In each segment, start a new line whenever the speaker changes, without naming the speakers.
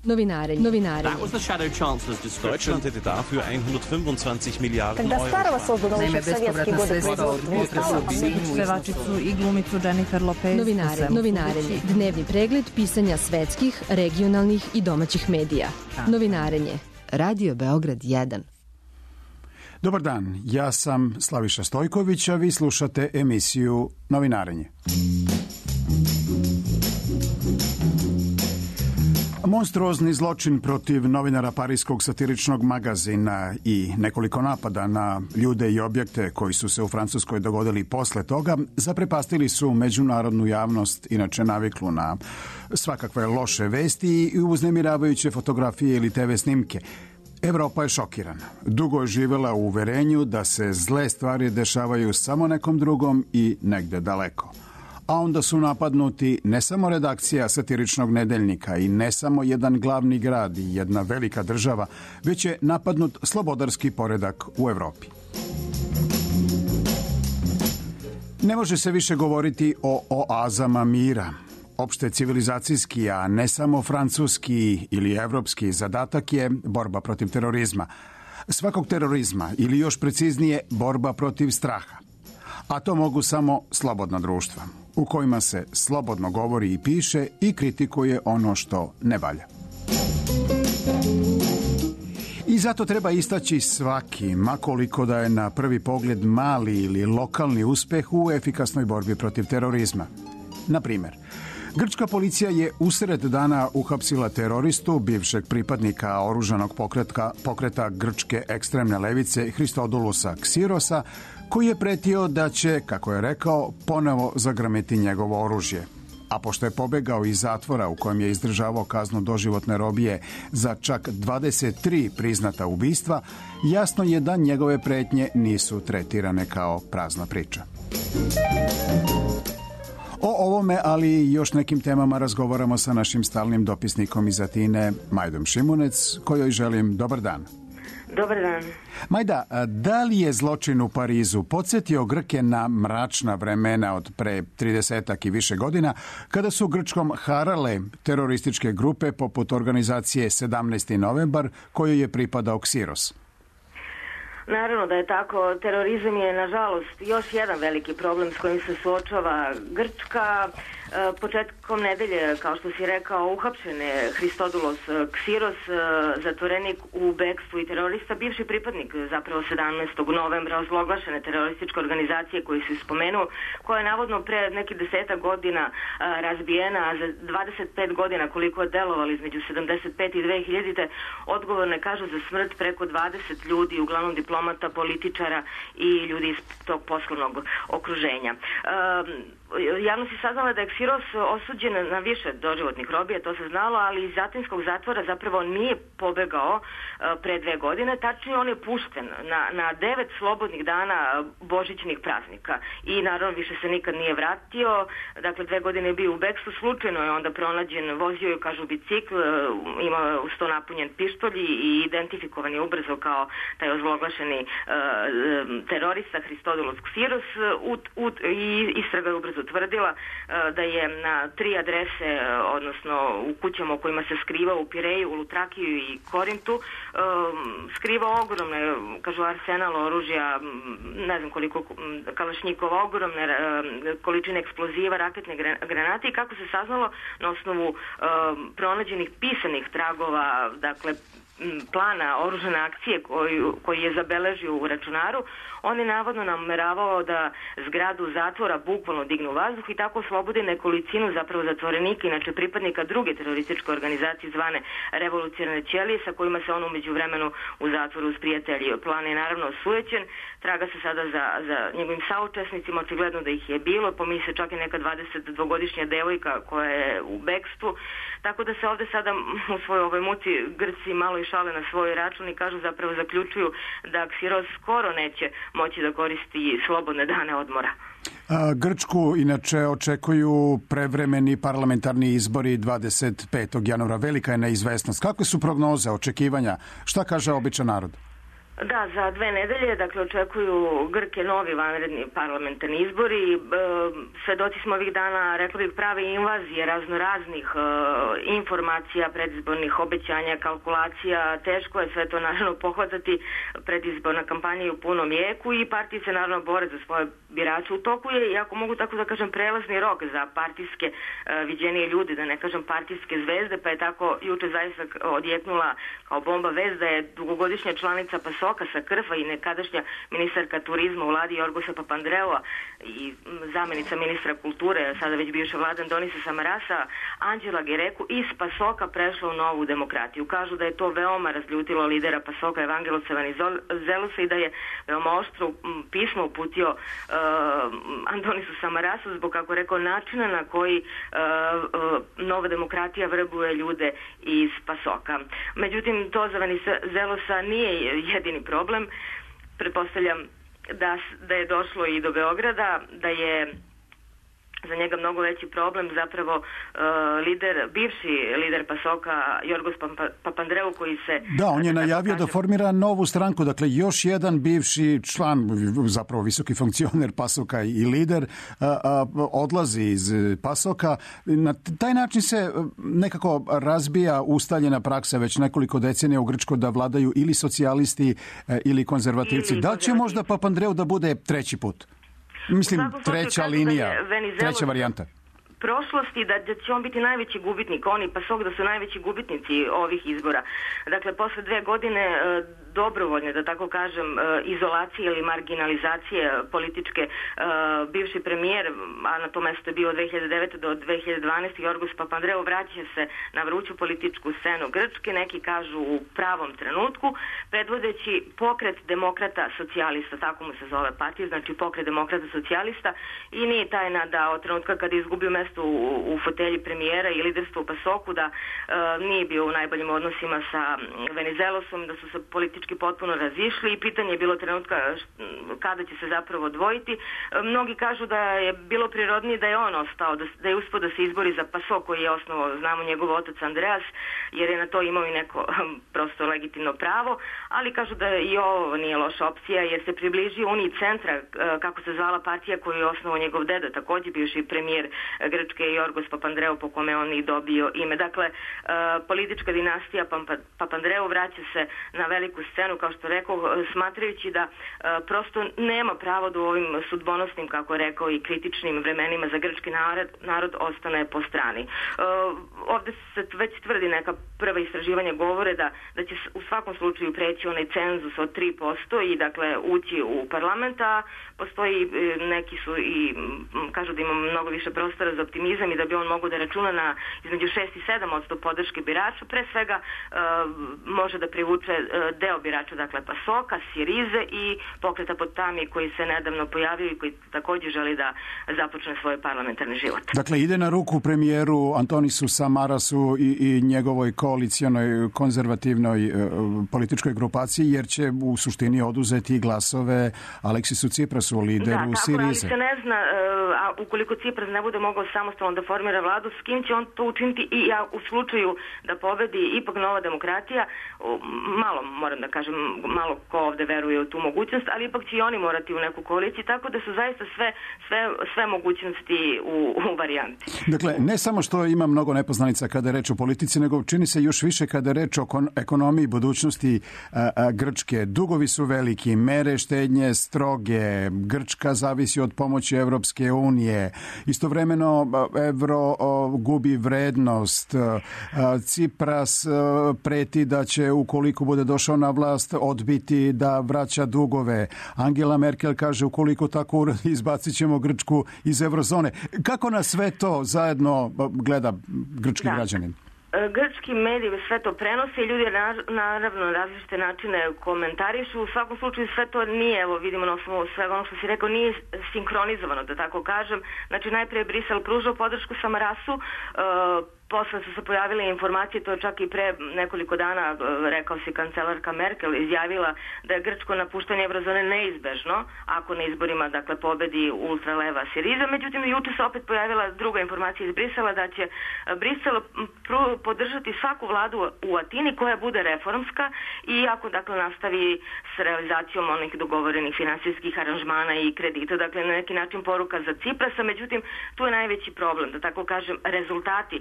Novinarenje.
That was the Shadow Chancellor's description.
Deutschland hätte dafür 125 Miliarden
Когда
Euro.
Старого создано еще в советские годы производства.
Pevačicu i glumicu Jennifer Lopez.
Novinarenje. Dnevni pregled pisanja svetskih, regionalnih i domaćih medija. Novinarenje. Radio Beograd 1.
Dobar dan, ja sam Slaviša Stojković, a vi slušate emisiju Novinarenje. Monstruozni zločin protiv novinara parijskog satiričnog magazina i nekoliko napada na ljude i objekte koji su se u Francuskoj dogodili posle toga zaprepastili su međunarodnu javnost, inače naviklu na svakakve loše vesti i uznemiravajuće fotografije ili TV snimke. Evropa je šokirana. Dugo je živela u uverenju da se zle stvari dešavaju samo nekom drugom i negde daleko. A onda su napadnuti ne samo redakcija satiričnog nedeljnika i ne samo jedan glavni grad i jedna velika država, već je napadnut slobodarski poredak u Evropi. Ne može se više govoriti o oazama mira. Opšte civilizacijski, a ne samo francuski ili evropski zadatak je borba protiv terorizma. Svakog terorizma ili još preciznije borba protiv straha. A to mogu samo slobodna društva, u kojima se slobodno govori i piše i kritikuje ono što ne valja. I zato treba istaći svaki, makoliko da je na prvi pogled mali ili lokalni uspeh u efikasnoj borbi protiv terorizma. Na primjer, grčka policija je usred dana uhapsila teroristu, bivšeg pripadnika oružanog pokreta grčke ekstremne levice Christodoulosa Ksirosa, koji je pretio da će, kako je rekao, ponovo zagrmeti njegovo oružje. A pošto je pobegao iz zatvora u kojem je izdržavao kaznu doživotne robije za čak 23 priznata ubistva, jasno je da njegove pretnje nisu tretirane kao prazna priča. O ovome, ali i još nekim temama razgovaramo sa našim stalnim dopisnikom iz Atine, Majdom Šimunec, kojoj želim dobar dan.
Dobar dan.
Majda, da li je zločin u Parizu podsjetio Grke na mračna vremena od pre 30 i više godina, kada su Grčkom harale terorističke grupe poput organizacije 17. novembar, kojoj je pripadao Ksiros?
Naravno da je tako. Terorizam je, nažalost, još jedan veliki problem s kojim se suočava Grčka. Početkom nedelje, kao što si rekao, uhapšen je Christodoulos Ksiros, zatvorenik u bekstvu i terorista, bivši pripadnik zapravo 17. novembra ozloglašene terorističke organizacije koju si spomenuo, koja je navodno pre nekih 10 godina razbijena, a za 25 godina koliko je delovali između 75 i 2000. odgovorne kažu za smrt preko 20 ljudi, uglavnom diplomata, političara i ljudi iz tog poslovnog okruženja. Javnost je saznala da je Ksiros osuđen na više doživotnih robija, to se znalo, ali iz atinskog zatvora zapravo nije pobegao pre 2 godine, tačnije on je pušten na 9 slobodnih dana božićnih praznika i naravno više se nikad nije vratio. Dakle, 2 godine je bio u bekstvu, slučajno je onda pronađen, vozio je, kažu, bicikl, ima uz to napunjen pištolj i identifikovan je ubrzo kao taj ozloglašeni terorista Christodoulos Ksiros i istraga je ubrzo utvrdila da je na 3 adrese, odnosno u kućama u kojima se skrivao u Pireju, u Lutrakiju i Korintu, skrivao ogromne, kažu, arsenal oružja, ne znam koliko kalašnjikova, ogromne količine eksploziva, raketne granate i kako se saznalo na osnovu pronađenih pisanih tragova, dakle plana oružane akcije koji je zabeležio u računaru, on je navodno nameravao da zgradu zatvora bukvalno dignu u vazduh i tako oslobodi nekolicinu zapravo zatvorenika, inače pripadnika druge terorističke organizacije zvane Revolucionarne ćelije, sa kojima se on umeđu vremenu u zatvoru sprijateljio. Plan je naravno osujećen, traga se sada za njegovim saučesnicima, očigledno da ih je bilo, pominje se čak i neka 22-godišnja devojka koja je u bekstvu, tako da se ovde sada u svojoj ovoj muci Grci malo i šale na svoj račun i kažu, zapravo zaključuju da Ksiros skoro neće moći da koristi slobodne dane odmora.
Grčku inače očekuju prevremeni parlamentarni izbori 25. januara. Velika je neizvesnost. Kakve su prognoze, očekivanja? Šta kaže običan narod?
Da, za 2 nedelje, dakle, očekuju Grke novi vanredni parlamentarni izbori. Svedoci smo ovih dana, rekla bih, prave invazije raznoraznih informacija, predizbornih obećanja, kalkulacija. Teško je sve to, naravno, pohvatati. Predizborna kampanja je u punom jeku i partije se, naravno, bore za svoje birače. U toku je, i ako mogu tako da kažem, prelazni rok za partijske viđenije ljudi, da ne kažem partijske zvezde, pa je tako juče zaista odjeknula kao bomba vest da je dugogodišnja članica PASOK-a sa Krfa i nekadašnja ministarka turizma u vladi Jorgosa Papandreua i zamenica ministra kulture, sada već bivša vlada Antonisa Samarasa, Anđela Gereku iz PASOK-a prešla u Novu demokratiju. Kažu da je to veoma razljutilo lidera PASOK-a Evangelosa Venizelosa i da je veoma oštro pismo uputio Antonisu Samarasu zbog, kako rekao, načina na koji Nova demokratija vrbuje ljude iz PASOK-a. Međutim, to za Venizelosa nije jedini problem. Pretpostavljam da je došlo i do Beograda, da je za njega mnogo veći problem zapravo bivši lider PASOK-a Jorgos Papandreou koji se...
Da, on je najavio da formira novu stranku, dakle još jedan bivši član, zapravo visoki funkcioner PASOK-a i lider, odlazi iz PASOK-a. Na taj način se nekako razbija ustaljena praksa već nekoliko decenija u Grčkoj da vladaju ili socijalisti ili konzervativci. Da li će možda Papandreou da bude treći put? Mislim, treća linija, treća varijanta.
Prošlosti da će on biti najveći gubitnik, oni PASOK da su najveći gubitnici ovih izbora. Dakle, posle 2 godine dobrovoljne, da tako kažem, izolacije ili marginalizacije političke, bivši premijer, a na to mesto je bio od 2009. do 2012. Jorgos Papandreou vraća se na vruću političku scenu Grčke, neki kažu u pravom trenutku, predvodeći pokret demokrata socijalista, tako mu se zove partija, znači pokret demokrata socijalista, i nije tajna da od trenutka kada je izgubio mesto u fotelji premijera i liderstvo u PASOK-u da nije bio u najboljim odnosima sa Venizelosom, da su se politički potpuno razišli i pitanje je bilo trenutka kada će se zapravo odvojiti. Mnogi kažu da je bilo prirodnije da je on ostao, da je uspio da se izbori za PASOK koji je osnovao, znamo, njegov otac Andreas, jer je na to imao i neko prosto legitimno pravo, ali kažu da i ovo nije loša opcija jer se približio Uniji centra, kako se zvala partija koju je osnovao njegov deda, također bivši premijer Grčke Jorgos Papandreou, po kome on i dobio ime. Dakle, politička dinastija Papandreou vraća se na veliku scenu, kao što rekao, smatrajući da prosto nema pravo da u ovim sudbonosnim, kako je rekao, i kritičnim vremenima za grčki narod ostane po strani. Ovde se već tvrdi, neka prva istraživanja govore da će u svakom slučaju preći onaj cenzus od 3% i dakle ući u parlament, a postoji, neki su i kažu da ima mnogo više prostora za optimizam i da bi on mogao da računa na između 6 i 7% podrške birača. Pre svega može da privuče deo birača, dakle PASOK-a, Sirize i pokreta Potami koji se nedavno pojavio i koji također želi da započne svoj parlamentarni život.
Dakle, ide na ruku premijeru Antonisu Samarasu i njegovoj koalicionoj konzervativnoj političkoj grupaciji, jer će u suštini oduzeti glasove Aleksisu Tsiprasu, lideru Sirize.
Da, tako, ali se ne zna, a ukoliko Tsipras ne bude mogao samostalno da formira vladu, s kim će on to učiniti i ja u slučaju da pobedi ipak Nova demokratija, malo, moram da kažem, malo ko ovde veruje u tu mogućnost, ali ipak će i oni morati u neku koaliciju, tako da su zaista sve mogućnosti u varijanti.
Dakle, ne samo što ima mnogo nepoznanica kada je reč o politici, nego čini se još više kada je reč o ekonomiji budućnosti Grčke. Dugovi su veliki, mere štednje stroge, Grčka zavisi od pomoći Evropske unije, istovremeno evro gubi vrednost, Tsipras preti da će, ukoliko bude došao na vlast, odbiti da vraća dugove. Angela Merkel kaže, ukoliko tako uradi, izbacit ćemo Grčku iz eurozone. Kako na sve to zajedno gleda grčki građanin?
Grčki mediji sve to prenose i ljudi naravno različite načine komentarišu. U svakom slučaju sve to nije, evo vidimo na osnovu svega ono što si rekao, nije sinkronizovano, da tako kažem. Znači najprije Brisel pružao podršku Samarasu, posle su se pojavile informacije, to je čak i pre nekoliko dana, rekao si kancelarka Merkel, izjavila da je grčko napuštanje eurozone neizbežno, ako na izborima, dakle, pobedi ultraleva Siriza. Međutim, juče se opet pojavila druga informacija iz Brisela, da će Brisel podržati svaku vladu u Atini koja bude reformska i ako, dakle, nastavi s realizacijom onih dogovorenih finansijskih aranžmana i kredita, dakle, na neki način poruka za Ciprasa. Međutim, tu je najveći problem, da tako kažem, rezultati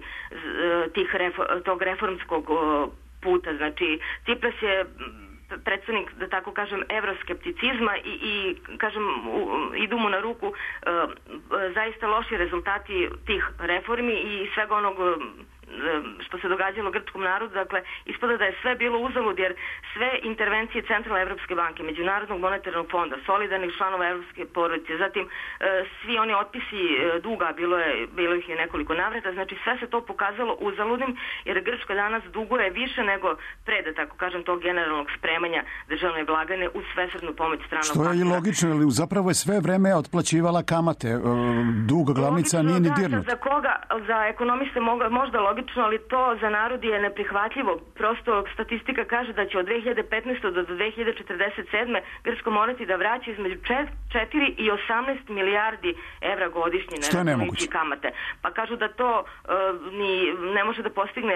tog reformskog puta. Znači, Cipras je predstavnik, da tako kažem, evroskepticizma i kažem, idu mu na ruku zaista loši rezultati tih reformi i svega onog što se događalo grčkom narodu. Dakle, ispada da je sve bilo uzalud, jer sve intervencije Centralne Evropske banke, Međunarodnog monetarnog fonda, solidarnih članova Evropske porodice, zatim svi oni otpisi duga, bilo ih je nekoliko navrata, znači sve se to pokazalo uzaludnim, jer Grčka danas duguje više nego pre, da tako kažem, tog generalnog spremanja državne blagajne uz svesrdnu pomoć stranog partnera.
Što je i logično, ali zapravo je sve vreme otplaćivala kamate. Dug glavnica nije ni dirnut.
Za koga, za ekonomiste možda logično, ali to za narod je neprihvatljivo. Prosto statistika kaže da će od 2015. do 2047. Grčko morati da vraća između 4 i 18 milijardi evra godišnje na računajući kamate. Pa kažu da to ne može da postigne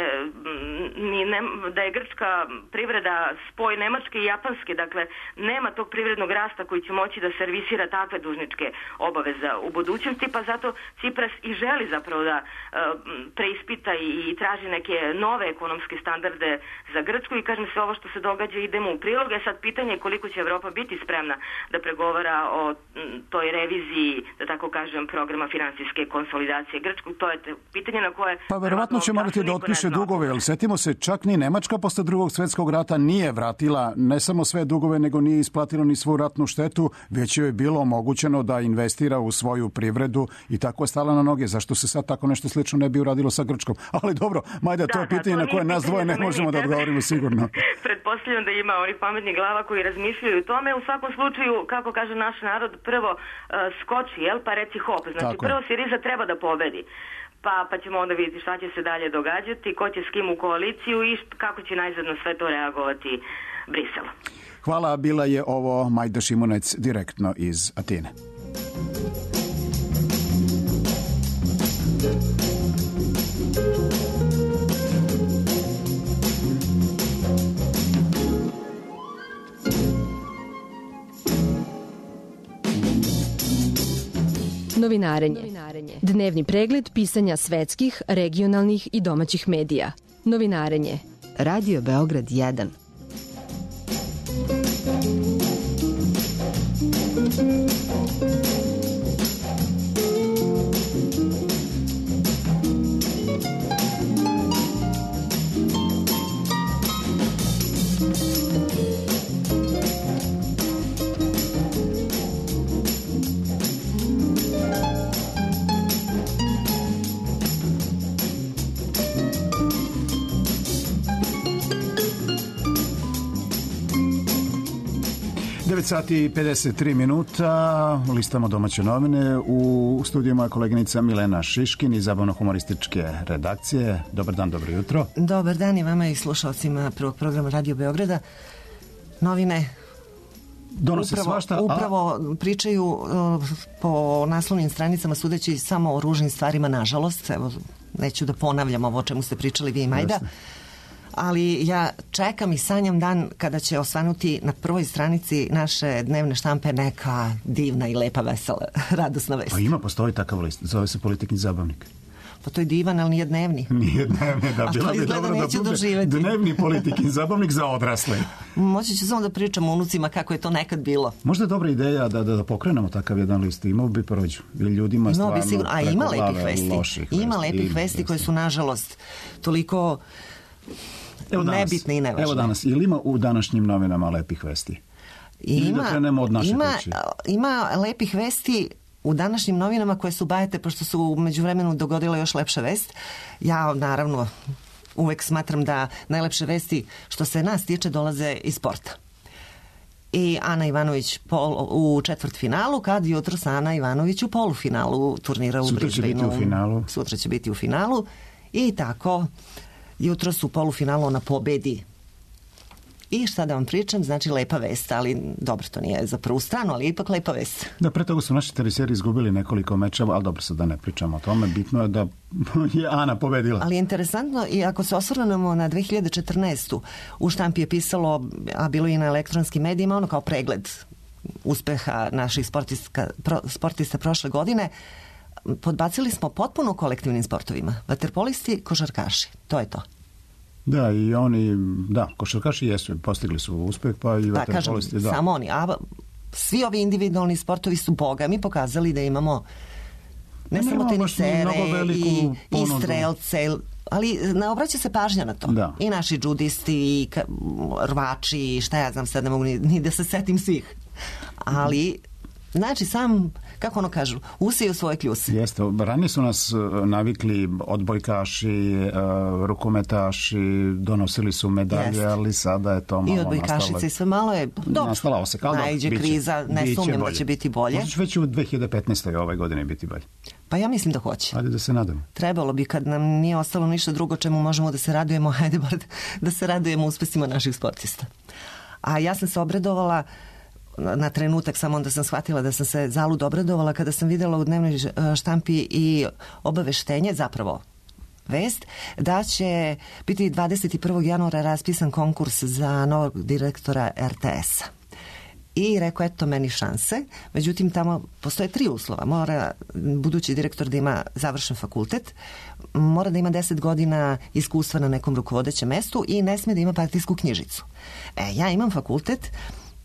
da je grčka privreda spoj Nemačke i Japanske, dakle nema tog privrednog rasta koji će moći da servisira takve dužničke obaveze u budućnosti, pa zato Cipras i želi zapravo da preispita i traži neke nove ekonomske standarde za Grčku i kažem, sve ovo što se događa idemo u prilog. Sad pitanje je koliko će Evropa biti spremna da pregovara o toj reviziji, da tako kažem, programa finansijske konsolidacije Grčku. To je pitanje na koje...
Pa verovatno će morati da otpiše dugove, jer setimo se, čak ni Nemačka posle Drugog svjetskog rata nije vratila ne samo sve dugove, nego nije isplatila ni svu ratnu štetu, već joj je bilo omogućeno da investira u svoju privredu i tako je stala na noge. Zašto se sad tako nešto slično ne bi uradilo sa Grčkom? Ali dobro, Majda, to je pitanje na koje nas dvoje ne možemo da odgovorimo sigurno.
Pretpostavljam da ima onih pametnih glava koji razmišljaju o tome. U svakom slučaju, kako kaže naš narod, prvo skoči, pa reci hop. Znači, prvo Siriza treba da pobedi. Pa ćemo onda vidjeti šta će se dalje događati, ko će s kim u koaliciju i kako će najzadno sve to reagovati Brisel.
Hvala, bila je ovo Majda Šimunec direktno iz Atine.
Novinarenje. Dnevni pregled pisanja svetskih, regionalnih i domaćih medija. Novinarenje. Radio Beograd 1.
Sati i 53 minuta, listamo domaće novine. U studiju moja koleginica Milena Šiškin iz zabavno-humorističke redakcije. Dobar dan, dobro jutro.
Dobar dan i vama i slušalcima prvog programa Radio Beograda. Novine upravo pričaju po naslovnim stranicama sudeći samo o ružnim stvarima, nažalost. Evo, neću da ponavljam ovo o čemu ste pričali vi i Majda. Jasne. Ali ja čekam i sanjam dan kada će osvanuti na prvoj stranici naše dnevne štampe neka divna i lepa, vesela, radosna vest.
Pa postoji takav list, zove se Politikni zabavnik.
Pa to je divan, ali nije dnevni.
Nije dnevni, da bilo bi dobro da bude dnevni Politikni zabavnik za odrasle.
Moći ću samo da pričam o unucima kako je to nekad bilo.
Možda je dobra ideja da pokrenemo takav jedan list. Imao bi prođu. Ljudima stvarno
ima lepih vesti. Ima lepih vesti koje su, nažalost, toliko... nebitne i nevažne.
Evo danas, ili ima u današnjim novinama lepih vesti?
Ima lepih vesti u današnjim novinama koje su bajete, pošto su u međuvremenu dogodila još lepša vest. Ja, naravno, uvek smatram da najlepše vesti što se nas tiče dolaze iz sporta. I Ana Ivanović u četvrtfinalu, kad jutros Ana Ivanović u polufinalu turnira u Brisbaneu.
Sutra će biti u finalu.
I tako, jutros u polufinalu ona pobedi. I šta da vam pričam, znači lepa vest, ali dobro, to nije za prvu stranu, ali ipak lepa vest.
Da, pre toga su naši teniseri izgubili nekoliko mečeva, ali dobro, sad da ne pričamo o tome, bitno je da je Ana pobedila.
Ali je interesantno, i ako se osvrnemo na 2014. u štampi je pisalo, a bilo i na elektronskim medijima, ono kao pregled uspeha naših sportista prošle godine, podbacili smo potpuno u kolektivnim sportovima. Vaterpolisti, košarkaši, to je to.
Da, i oni, košarkaši jesu, postigli su uspeh, pa i vaterpolisti.
Da, samo oni. A svi ovi individualni sportovi su bogami pokazali da imamo ne samo tenisere i strelce, ali ne obraća se pažnja na to. Da. I naši džudisti, i rvači, i šta ja znam, sad ne mogu ni da se setim svih. Ali, znači, sam, kako ono kažu, usiju svoje kljuse.
Jeste, ranije su nas navikli odbojkaši, rukometaši, donosili su medalje, ali sada je to malo nastalo. I odbojkašice, sve malo je
nastalo se kao najđe kriza, ne sumnjam da će biti bolje.
Možda će već u 2015. ove godine biti bolje.
Pa ja mislim da hoće.
Ajde da se nadamo.
Trebalo bi, kad nam nije ostalo ništa drugo čemu možemo da se radujemo, hajde bar da se radujemo uspesima naših sportista. A ja sam se obradovala na trenutak, samo onda sam shvatila da sam se zalud obradovala kada sam vidjela u dnevnoj štampi i obaveštenje, zapravo vest, da će biti 21. januara raspisan konkurs za novog direktora RTS-a. I rekao, eto meni šanse, međutim tamo postoje 3 uslova. Mora budući direktor da ima završen fakultet, mora da ima 10 godina iskustva na nekom rukovodećem mestu i ne smije da ima partijsku knjižicu. Ja imam fakultet,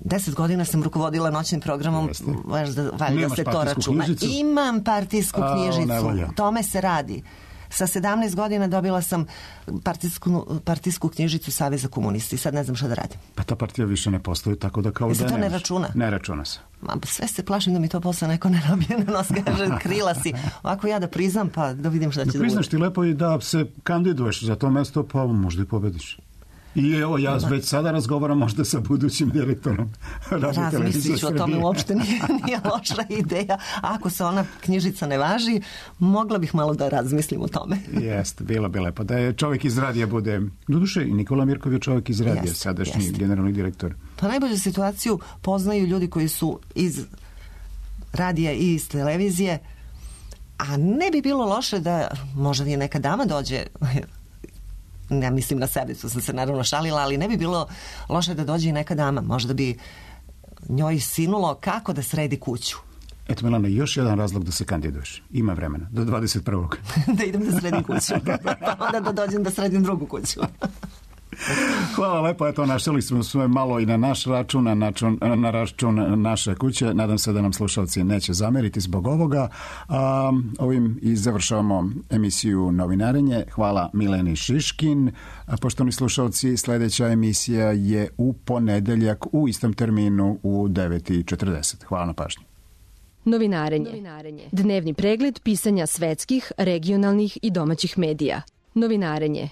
10 godina sam rukovodila noćnim programom, valjda se to računa. Imam partijsku knjižicu, tome se radi. Sa 17 godina dobila sam partijsku knjižicu Saveza komunisti. Sad ne znam šta da radim.
Pa ta partija više ne postoji, tako da kao da
to ne računa?
Ne računa se.
Sve se plašim da mi to posle neko ne nabije na nos, kaže krila si. Ovako ja da priznam, pa da vidim šta će da bude.
Priznaš ti lepo i da se kandiduješ za to mesto, pa možda i pobediš. I evo, ja već sada razgovaram možda sa budućim direktorom
Razmislit ću o tome, uopšte nije loša ideja. Ako se ona knjižica ne važi, mogla bih malo da razmislim o tome.
Jeste, bilo bi lepo. Da je čovjek iz radija bude, doduše i Nikola Mirkov je čovjek iz radija, sadašnji generalni direktor.
Pa najbolju situaciju poznaju ljudi koji su iz radija i iz televizije, a ne bi bilo loše da možda i neka dama dođe. Ne mislim na sebe, to sam se naravno šalila, ali ne bi bilo loše da dođe i neka dama. Možda bi njoj sinulo kako da sredi kuću.
Eto, Milana, još jedan razlog da se kandiduješ. Ima vremena, do 21.
Da idem da sredim kuću. Pa onda da dođem da sredim drugu kuću.
Hvala lepo, eto, našli smo sve malo i na naš račun, na račun naše kuće. Nadam se da nam slušalci neće zameriti zbog ovoga. Ovim i završavamo emisiju Novinarenje. Hvala Mileni Šiškin. Poštovani slušalci, sljedeća emisija je u ponedeljak u istom terminu u 9:40. Hvala na pažnji.
Novinarenje. Dnevni pregled pisanja svetskih, regionalnih i domaćih medija. Novinarenje.